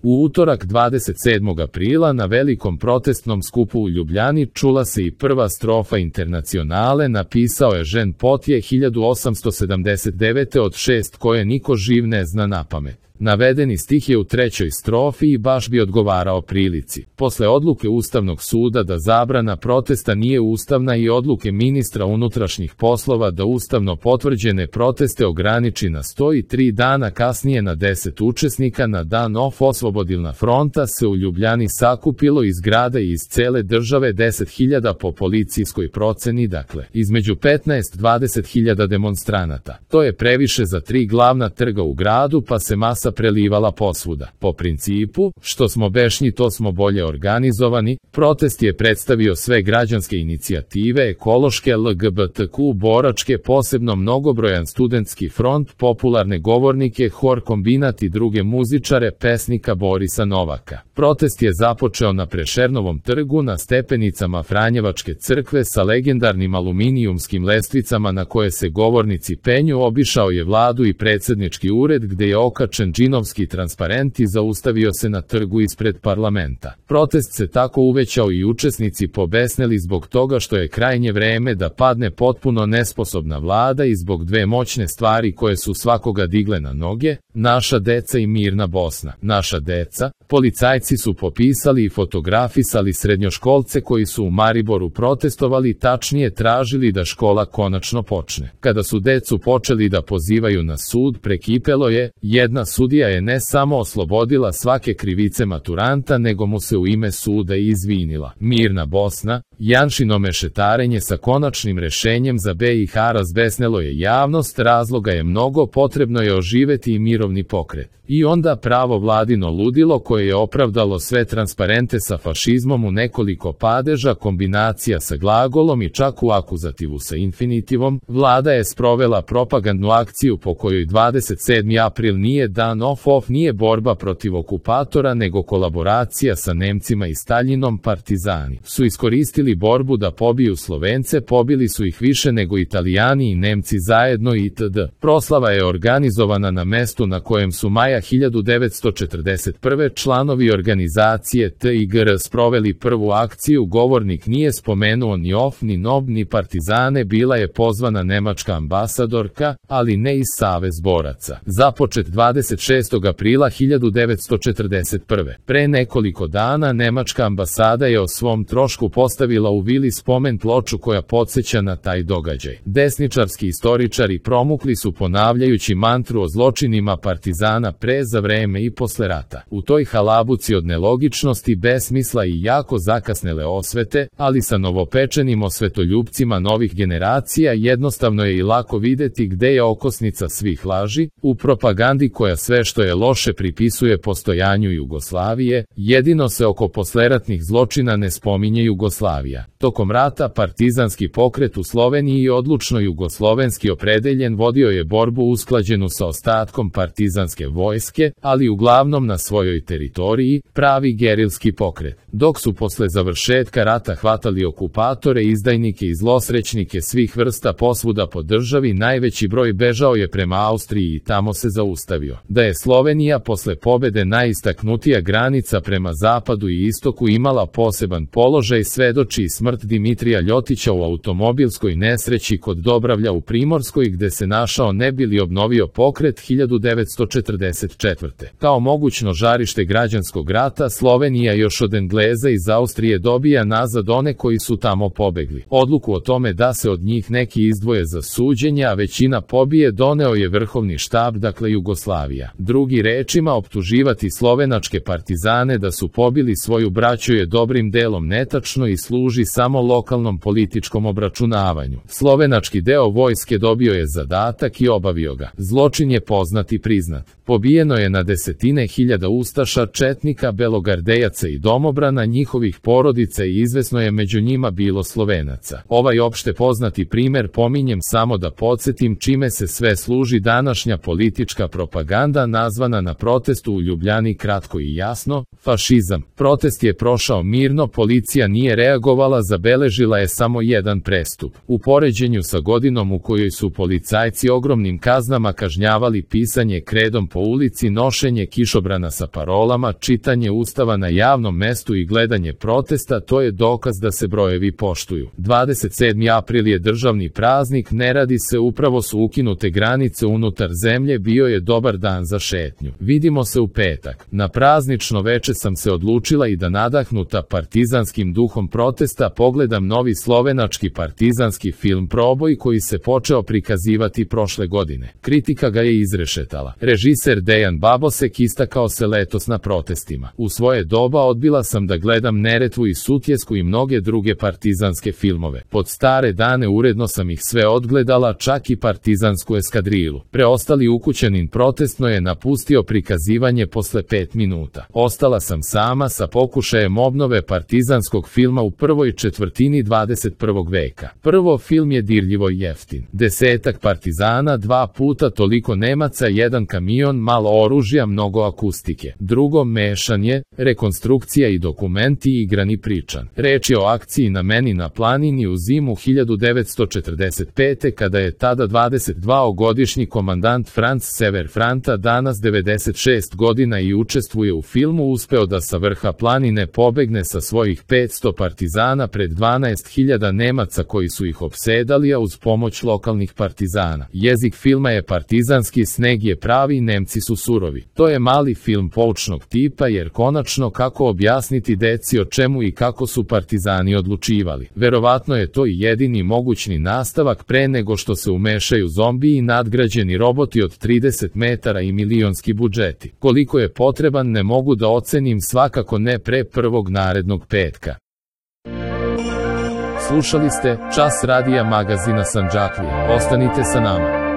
U utorak 27. aprila na velikom protestnom skupu u Ljubljani čula se i prva strofa Internacionale, napisao je Jean Potje 1879. od 6 koje niko živ ne zna napamet. Navedeni stih je u trećoj strofi i baš bi odgovarao prilici. Posle odluke Ustavnog suda da zabrana protesta nije ustavna i odluke ministra unutrašnjih poslova da ustavno potvrđene proteste ograniči na 103 dana kasnije na 10 učesnika, na dan Oslobodilna fronta se u Ljubljani sakupilo iz grada i iz cele države 10.000 po policijskoj proceni, dakle, između 15-20.000 demonstranata. To je previše za 3 glavna trga u gradu, pa se masa prelivala posvuda. Po principu, što smo bešnji to smo bolje organizovani, protest je predstavio sve građanske inicijative, ekološke, LGBTQ, boračke, posebno mnogobrojan studentski front, popularne govornike, hor kombinat i druge muzičare, pesnika Borisa Novaka. Protest je započeo na Prešernovom trgu na stepenicama Franjevačke crkve sa legendarnim aluminijumskim lestvicama na koje se govornici penju, obišao je vladu i predsjednički ured gde je okačen džinovski transparent i zaustavio se na trgu ispred parlamenta. Protest se tako uvećao i učesnici pobesneli zbog toga što je krajnje vreme da padne potpuno nesposobna vlada i zbog dve moćne stvari koje su svakoga digle na noge, naša deca i mirna Bosna. Naša deca, policajci su popisali i fotografisali srednjoškolce koji su u Mariboru protestovali, tačnije tražili da škola konačno počne. Kada su decu počeli da pozivaju na sud, prekipelo je, jedna sudija je ne samo oslobodila svake krivice maturanta, nego mu se u ime suda i izvinila. Mirna Bosna, Janšino mešetarenje sa konačnim rešenjem za BiH razbesnelo je javnost, razloga je mnogo, potrebno je oživeti i mirovni pokret. I onda pravo vladino ludilo koje je opravdalo sve transparente sa fašizmom u nekoliko padeža, kombinacija sa glagolom i čak u akuzativu sa infinitivom, vlada je sprovela propagandnu akciju po kojoj 27. april nije dan off, nije borba protiv okupatora nego kolaboracija sa Nemcima i Staljinom. Partizani su iskoristili borbu da pobiju Slovence, pobili su ih više nego Italijani i Nemci zajedno itd. Proslava je organizovana na mestu na kojem su maja 1941. članovi organizacije TIGR sproveli prvu akciju, govornik nije spomenuo ni OF, ni NOB, ni partizane, bila je pozvana nemačka ambasadorka, ali ne iz Savez boraca. Započet 26. aprila 1941. Pre nekoliko dana nemačka ambasada je o svom trošku postavila u vili spomen ploču koja podsjeća na taj događaj. Desničarski istoričari promukli su ponavljajući mantru o zločinima partizana pre, za vreme i posle rata. U toj halabuci od nelogičnosti, besmisla i jako zakasnele osvete, ali sa novopečenim osvetoljupcima novih generacija, jednostavno je i lako videti gde je okosnica svih laži, u propagandi koja sve što je loše pripisuje postojanju Jugoslavije, jedino se oko posleratnih zločina ne spominje Jugoslavija. Tokom rata partizanski pokret u Sloveniji i odlučno jugoslovenski opredeljen vodio je borbu usklađenu sa ostatkom partizanske vojske, ali uglavnom na svojoj teritoriji, pravi gerilski pokret. Dok su posle završetka rata hvatali okupatore, izdajnike i zlosrećnike svih vrsta posvuda po državi, najveći broj bežao je prema Austriji i tamo se zaustavio. Da je Slovenija posle pobede najistaknutija granica prema zapadu i istoku imala poseban položaj svedoči i smrt Dimitrija Ljotića u automobilskoj nesreći kod Dobravlja u Primorskoj gde se našao ne bi li obnovio pokret 1944. Kao mogućno žarište građanskog rata Slovenija još od Engleza iz Austrije dobija nazad one koji su tamo pobegli. Odluku o tome da se od njih neki izdvoje za suđenje, a većina pobije, doneo je vrhovni štab, dakle Jugoslavija. Drugi rečima, optuživati slovenačke partizane da su pobili svoju braću je dobrim delom netačno i služi samo lokalnom političkom obračunavanju. Slovenački deo vojske dobio je zadatak i obavio ga. Zločin je poznat i priznat. Pobijeno je na desetine hiljada ustaša, četnika, belogardejaca i domobrana, njihovih porodica i izvesno je među njima bilo Slovenaca. Ovaj opšte poznati primer pominjem samo da podsjetim čime se sve služi današnja politička propaganda nazvana na protestu u Ljubljani kratko i jasno, fašizam. Protest je prošao mirno, policija nije reagovala reagovala zabeležila je samo jedan prestup. U poređenju sa godinom u kojoj su policajci ogromnim kaznama kažnjavali pisanje kredom po ulici, nošenje kišobrana sa parolama, čitanje ustava na javnom mestu i gledanje protesta, to je dokaz da se brojevi poštuju. 27. april je državni praznik, ne radi se, upravo su ukinute granice unutar zemlje, bio je dobar dan za šetnju. Vidimo se u petak. Na praznično veče sam se odlučila i da nadahnuta partizanskim duhom protesta pogledam novi slovenački partizanski film Proboj koji se počeo prikazivati prošle godine. Kritika ga je izrešetala. Režiser Dejan Babosek istakao se letos na protestima. U svoje doba odbila sam da gledam Neretvu i Sutjesku i mnoge druge partizanske filmove. Pod stare dane uredno sam ih sve odgledala, čak i partizansku eskadrilu. Preostali ukućanin protestno je napustio prikazivanje posle 5 minuta. Ostala sam sama sa pokušajem obnove partizanskog filma u prvoj četvrtini 21. veka. Prvo, film je dirljivo jeftin. 10 partizana, 2 puta toliko Nemaca, 1 kamion, malo oružja, mnogo akustike. Drugo, mešanje, rekonstrukcija i dokumenti, igran i pričan. Reč je o akciji na Meni na planini u zimu 1945. kada je tada 22-godišnji komandant Franz Sever Franta, danas 96 godina i učestvuje u filmu, uspeo da sa vrha planine pobegne sa svojih 500 partizana pred 12.000 Nemaca koji su ih opsedali, a uz pomoć lokalnih partizana. Jezik filma je partizanski, sneg je pravi, Nemci su surovi. To je mali film poučnog tipa jer konačno kako objasniti deci o čemu i kako su partizani odlučivali. Verovatno je to i jedini mogućni nastavak pre nego što se umešaju zombiji i nadgrađeni roboti od 30 metara i milionski budžeti. Koliko je potreban ne mogu da ocenim, svakako ne pre prvog narednog petka. Slušali ste Čas radija magazina Sandžaklija. Ostanite sa nama.